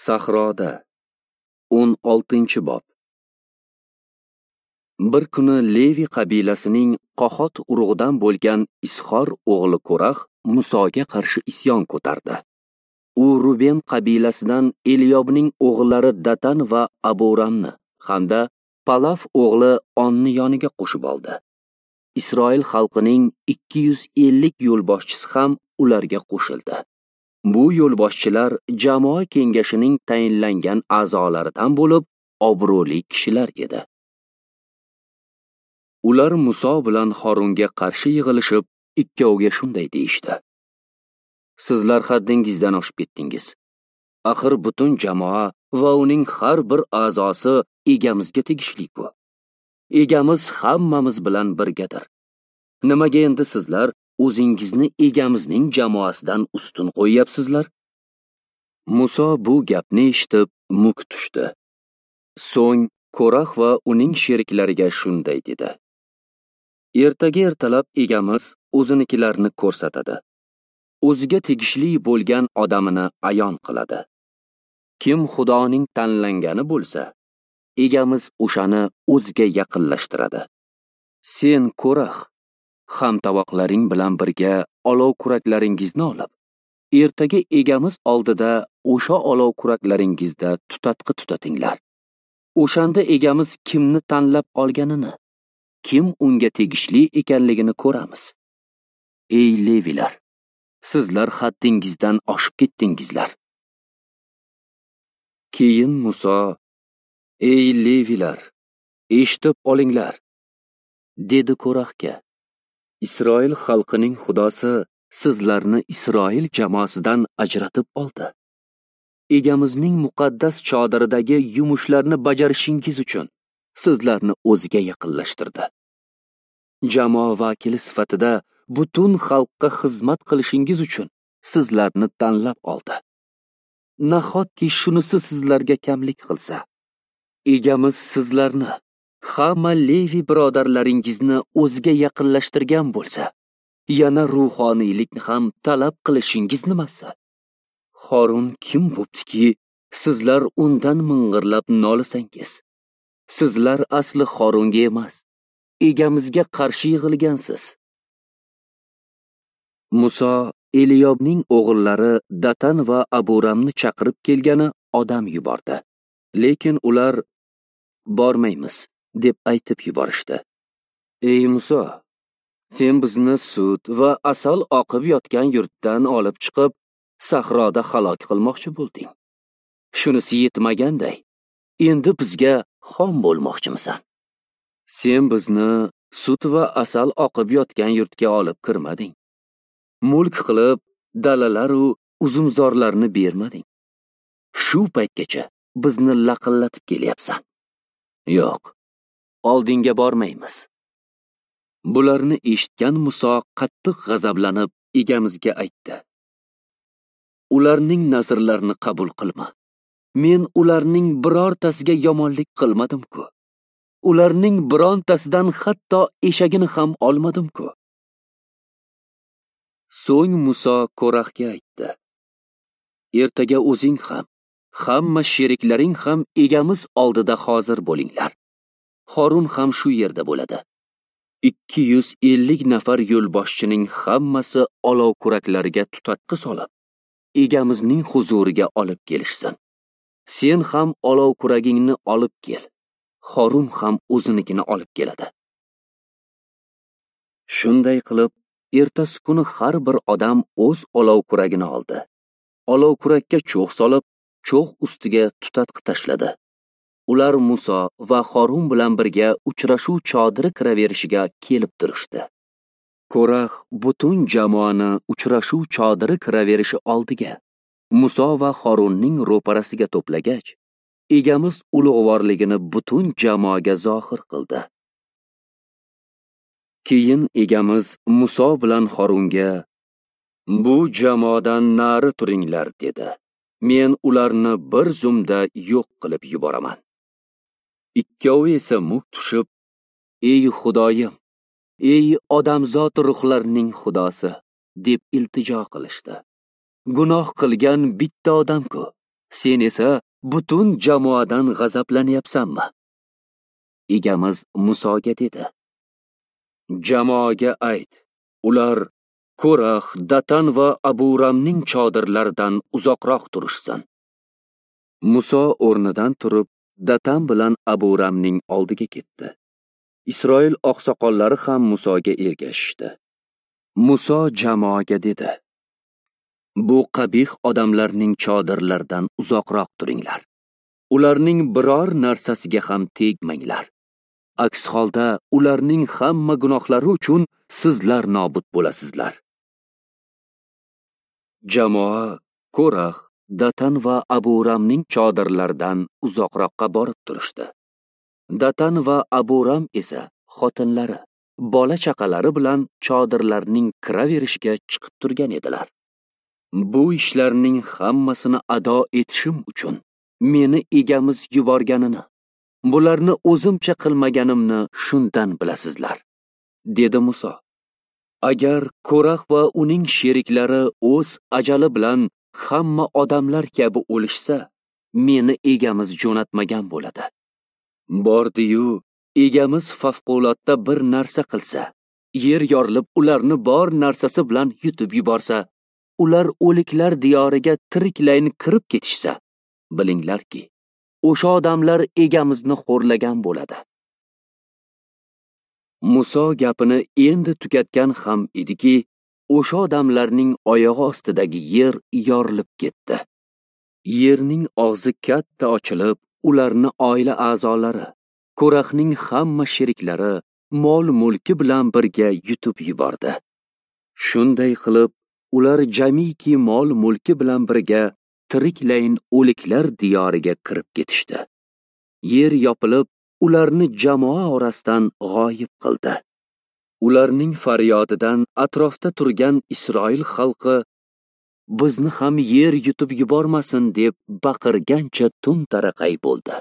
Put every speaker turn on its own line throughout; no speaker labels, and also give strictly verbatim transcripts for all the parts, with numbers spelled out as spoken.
Sahroda o'n oltinchi bob. Bir kuni Levi qabilasining Qohot urug'idan bo'lgan Isxor o'g'li Ko'rax Musoga qarshi isyon ko'tardi. U Ruben qabilasidan Eliyobning o'g'illari Datan va Aburamni hamda Palaf o'g'li Onni yoniga qo'shib oldi. Isroil xalqining ikki yuz ellik yo'lboshchisi ham ularga qo'shildi. Bu yo'lboshchilar jamoa kengashining tayinlangan a'zolaridan bo'lib, obro'li kishilar edi. Ular Muso bilan Horunga qarshi yig'ilishib, ikkoviga shunday deyishdi: Sizlar haddingizdan oshib ketdingiz. Axir butun jamoa va uning har bir a'zosi egamizga tegishli-ku. Egamiz hammamiz bilan birgadir. Nimaga endi sizlar o'zingizni egamizning jamoasidan ustun qo'yyapsizlar? Muso bu gapni eshitib muk tushdi. So'ng Ko'rax va uning sheriklariga shunday dedi: Ertaga ertalab egamiz o'zinikilarni ko'rsatadi. O'ziga tegishli bo'lgan odamini ayon qiladi. Kim Xudoning tanlangani bo'lsa, egamiz o'shani o'ziga yaqinlashtiradi. Sen Ko'rax, hamtovoqlaring bilan birga olov kuraklaringizni olib, ertaga egamiz oldida o'sha olov kuraklaringizda tutatqi tutatinglar. O'shanda egamiz kimni tanlab olganini, kim unga tegishli ekanligini ko'ramiz. Ey Levilar, sizlar haddingizdan oshib ketdingizlar. Keyin Muso: Ey Levilar, eshitib olinglar, dedi Ko'raxga. Isroil xalqining Xudosi sizlarni Isroil jamoasidan ajratib oldi. Egamizning muqaddas chodiridagi yumushlarni bajarishingiz uchun sizlarni o'ziga yaqinlashtirdi. Jamoa vakili sifatida butun xalqqa xizmat qilishingiz uchun sizlarni tanlab oldi. Nahotki shunisi sizlarga kamlik qilsa? Egamiz sizlarni, hamma Levi birodarlaringizni o'ziga yaqinlashtirgan bo'lsa, yana ruhoniylikni ham talab qilishingiz nimasi? Horun kim bo'ptiki, sizlar undan ming'irlab nolisangiz? Sizlar asli Horunga emas, egamizga qarshi yig'ilgansiz. Muso Eliyobning o'g'illari Datan va Aburamni chaqirib kelgani odam yubordi. Lekin ular bormaymiz deb aytib yuborishdi. Ey Muso, sen bizni sut va asal oqib yotgan yurtdan olib chiqib, sahroda halok qilmoqchi bo'lding. Shunisi yetmaganday, endi bizga xom bo'lmoqchimisan? Sen bizni sut va asal oqib yotgan yurtga olib kirmading. Mulk qilib dalalar u uzumzorlarni bermading. Shu paytgacha bizni laqillatib kelyapsan. Yo'q, oldinga bormaymiz. Bularni eshitgan Muso qattiq g'azablanib egamizga aytdi: Ularning nazrlarini qabul qilma. Men ularning birortasiga yomonlik qilmadim-ku. Ularning birontasidan hatto eshagini ham olmadim-ku. So'ng Muso Ko'raxga aytdi: Ertaga o'zing ham, hamma sheriklaring ham egamiz oldida hozir bo'linglar. Horun ham shu yerda bo'ladi. ikki yuz ellik nafar yo'lboshchining hammasi olov kuraklariga tutatqi solib, egamizning huzuriga olib kelishsin. Sen ham olov kuragingni olib kel. Horun ham o'zinikini olib keladi. Shunday qilib, ertasi kuni har bir odam o'z olov kuragini oldi. Olov kurakka cho'g' solib, cho'g' ustiga tutatqi tashladi. Ular Muso va Horun bilan birga uchrashuv chodiri kiraverishiga kelib turishdi. Ko'rax butun jamoani uchrashuv chodiri kiraverishi oldiga, Muso va Horunning ro'parasiga to'plagach, egamiz ulug'vorligini butun jamoaga zohir qildi. Keyin egamiz Muso bilan Horunga: Bu jamoadan nari turinglar, dedi. Men ularni bir zumda yo'q qilib yuboraman. Ikkovi esa muk tushib: Ey Xudoyim, ey odamzod ruhlarining Xudosi, deb iltijo qilishdi. Gunoh qilgan bitta odam-ku. Sen esa butun jamoadan g'azablanyapsanmi? Egamiz Musoga dedi: Jamoaga ayt, ular Ko'rax, Datan va Aburamning chodirlaridan uzoqroq turishsin. Muso o'rnidan turib, Datan bilan Aburamning oldiga ketdi. Isroil oqsoqollari ham Musoga ergashishdi. Muso jamoaga dedi: Bu qabih odamlarning chodirlaridan uzoqroq turinglar. Ularning biror narsasiga ham tegmanglar. Aks holda ularning hamma gunohlari uchun sizlar nobud bo'lasizlar. Jamoa Ko'rax, Datan va Aburamning chodirlaridan uzoqroqqa borib turishdi. Datan va Aburam esa xotinlari, bola chaqalari bilan chodirlarning kiraverishiga chiqib turgan edilar. Bu ishlarning hammasini ado etishim uchun meni egamiz yuborganini, bularni o'zimcha qilmaganimni shundan bilasizlar, dedi Muso. Agar Ko'rax va uning sheriklari o'z ajali bilan hamma odamlar kabi o'lishsa, meni egamiz jo'natmagan bo'ladi. Bordi-yu, egamiz favqulodda bir narsa qilsa, yer yorilib ularni bor narsasi bilan yutib yuborsa, ular o'liklar diyoriga tiriklayin kirib ketishsa, bilinglarki, o'sha odamlar egamizni xo'rlagan bo'ladi. Muso gapini endi tugatgan ham ediki, o'sha odamlarning oyog'i ostidagi yer yorilib ketdi. Yerning og'zi katta ochilib, ularni oila a'zolari, Ko'raxning hamma sheriklari mol-mulki bilan birga yutib yubordi. Shunday qilib, ular jamiki mol-mulki bilan birga tiriklayin o'liklar diyoriga kirib ketishdi. Yer yopilib, ularni jamoa orasidan g'oyib qildi. Ularning faryodidan atrofda turgan Isroil xalqi bizni ham yer yutib yubormasin deb baqirgancha tun taraqay bo'ldi.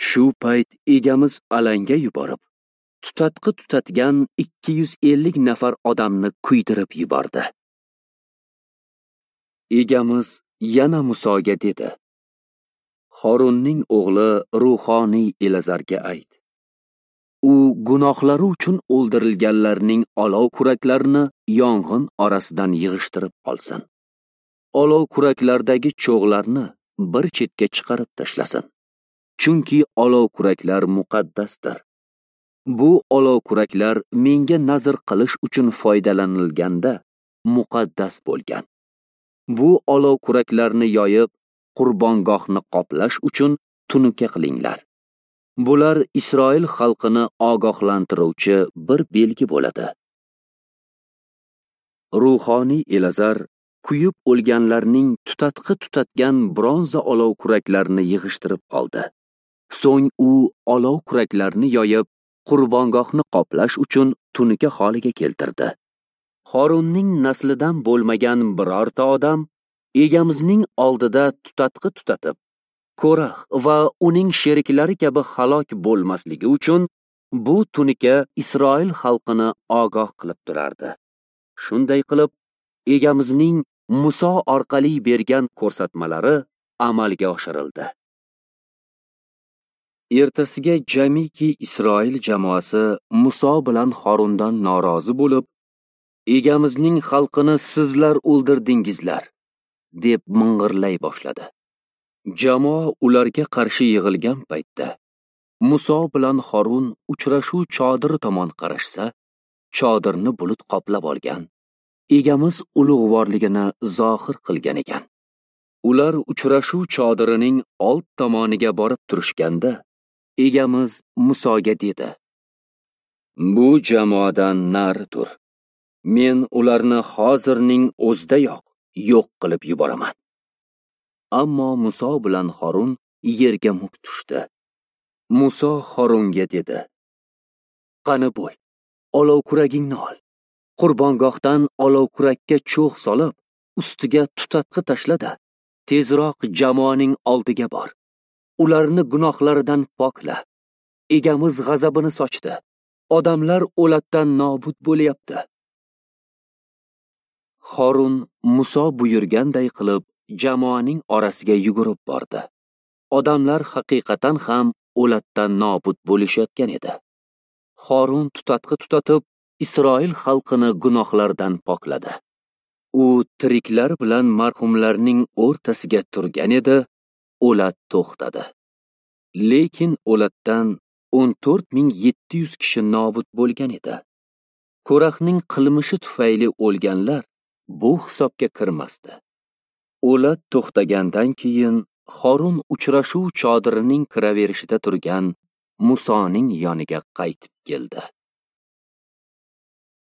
Shu payt egamiz alanga yuborib, tutatqi tutatgan ikki yuz ellik nafar odamni kuydirib yubordi. Egamiz yana Musoga dedi: Horunning o'g'li ruhoniy Elazarga ayt. U gunohlari uchun o'ldirilganlarning olov kuraklarini yong'in orasidan yig'ishtirib olsin. Olov kuraklardagi cho'g'larni bir chetga chiqarib tashlasin. Chunki olov kuraklar muqaddasdir. Bu olov kuraklar menga nazr qilish uchun foydalanilganda muqaddas bo'lgan. Bu olov kuraklarni yoyib, qurbongohni qoplash uchun tunuka qilinglar. Bular Isroil xalqini ogohlantiruvchi bir belgi bo'ladi. Ruhoniy Elazar kuyib o'lganlarning tutatqi tutatgan bronza olov kuraklarini yig'ishtirib oldi. So'ng u olov kuraklarini yoyib, qurbongohni qoplash uchun tunuka holiga keltirdi. Horunning naslidan bo'lmagan birorta odam egamizning oldida tutatqi tutatib, Ko'rax va uning sheriklari kabi halok bo'lmasligi uchun bu tunuka Isroil xalqini ogoh qilib turardi. Shunday qilib, egamizning Muso orqali bergan ko'rsatmalari amalga oshirildi. Ertasiga jamiki Isroil jamoasi Muso bilan Horundan norozi bo'lib, egamizning xalqini sizlar o'ldirdingizlar, deb ming'irlay boshladi. Jamoa ularga qarshi yig'ilgan paytda Muso bilan Horun uchrashuv chodiri tomon qarashsa, chodirni bulut qoplab olgan, egamiz ulug'vorligini zohir qilgan ekan. Ular uchrashuv chodirining old tomoniga borib turishganda, egamiz Musoga dedi: Bu jamoadan nari tur. Men ularni hozirning o'zidayoq yo'q qilib yuboraman. Ammo Muso bilan Horun yerga muk tushdi. Muso Horunga dedi: Qani bo'l, olov kuragingni ol. Qurbongohdan olov kurakka cho'g' solib, ustiga tutatqi tashlada, tezroq jamoaning oldiga bor. Ularni gunohlaridan pokla. Egamiz g'azabini sochdi. Odamlar o'latdan nobud bo'lyapti. Horun Muso buyurganday qilib jamoaning orasiga yugurib bordi. Odamlar haqiqatan ham o'latdan nobud bo'lishayotgan edi. Horun tutatqi tutatib, Isroil xalqini gunohlardan pokladi. U tiriklar bilan marhumlarning o'rtasiga turgan edi, o'lat to'xtadi. Lekin o'latdan o'n to'rt ming yetti yuz kishi nobud bo'lgan edi. Ko'rahning qilmishi tufayli o'lganlar bu hisobga kirmasdi. O'lat to'xtagandan keyin Horun uchrashuv chodirining kiraverishida turgan Musoning yoniga qaytib keldi.